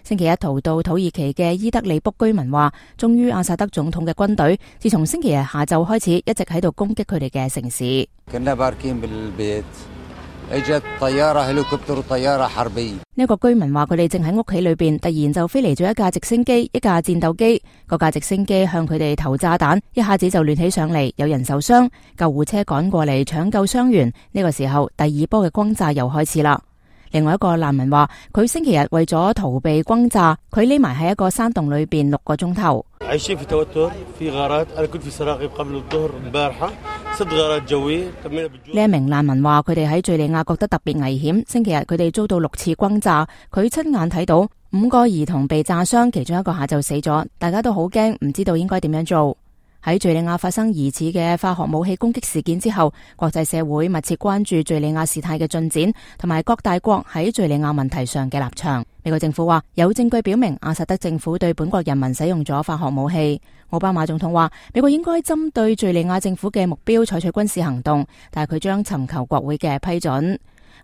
星期一逃到土耳其嘅伊德利卜居民話，終於阿薩德總統嘅軍隊自從星期日下晝開始，一直喺度攻擊佢哋嘅城市。呢個居民話，佢哋正喺屋企裏邊，突然就飛嚟咗一架直升機、一架戰鬥機，嗰架直升機向佢哋投炸彈，一下子就亂起上嚟，有人受傷，救護車趕過嚟搶救傷員。呢個時候，第二波嘅轟炸又開始啦。另外一個難民話，佢星期日為咗逃避轟炸，佢匿埋喺一個山洞裏邊6個鐘頭。呢一名難民話，佢哋喺敘利亞覺得特別危險。星期日佢哋遭到6次轟炸，佢親眼睇到5個兒童被炸傷，其中一個下晝死咗，大家都好驚，唔知道應該點樣做。喺敘利亞發生疑似嘅化學武器攻擊事件之後，國際社會密切關注敘利亞事態嘅進展，同埋各大國喺敘利亞問題上嘅立場。美國政府話有證據表明阿薩德政府對本國人民使用咗化學武器。奧巴馬總統話美國應該針對敘利亞政府嘅目標採取軍事行動，但係佢將尋求國會嘅批准。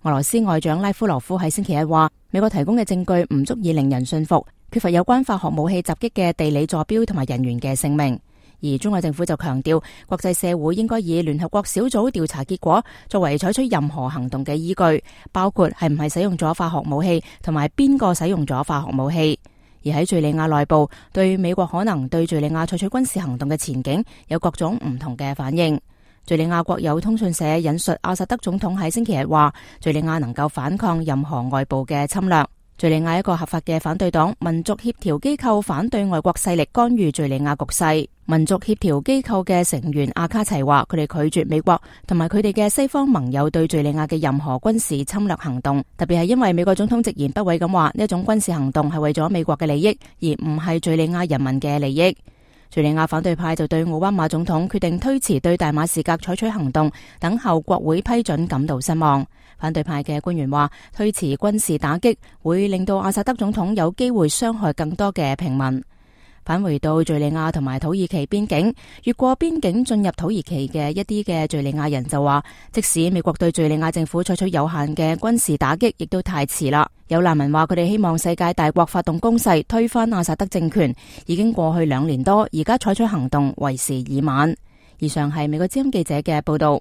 俄羅斯外長拉夫羅夫喺星期一話，美國提供嘅證據唔足以令人信服，缺乏有關化學武器襲擊嘅地理坐標同埋人員嘅姓名。而中國政府就強調，國際社會應該以聯合國小組調查結果作為採取任何行動嘅依據，包括係唔係使用咗化學武器，同埋邊個使用咗化學武器。而喺敘利亞內部，對美國可能對敘利亞採取軍事行動嘅前景有各種唔同嘅反應。敘利亞國有通訊社引述阿薩德總統喺星期日話，敘利亞能夠反抗任何外部嘅侵略。敘利亞一個合法嘅反對黨民族協調機構反對外國勢力干預敘利亞局勢。民族協調機構嘅成員阿卡齊話，佢哋拒絕美國同埋佢哋嘅西方盟友對敘利亞嘅任何軍事侵略行動，特別係因為美國總統直言不諱咁話，呢一種軍事行動係為咗美國嘅利益，而唔係敘利亞人民嘅利益。敘利亞反對派就對奧巴馬總統決定推遲對大馬士革採取行動，等候國會批准感到失望。反對派嘅官員話，推遲軍事打擊會令到阿薩德總統有機會傷害更多嘅平民。返回到敘利亞同埋土耳其邊境，越過邊境進入土耳其嘅一啲嘅敘利亞人就話，即使美國對敘利亞政府採取有限嘅軍事打擊，亦都太遲啦。有難民話，佢哋希望世界大國發動攻勢推翻阿薩德政權，已經過去2年多，而家採取行動為時已晚。以上係美國之音記者嘅報道。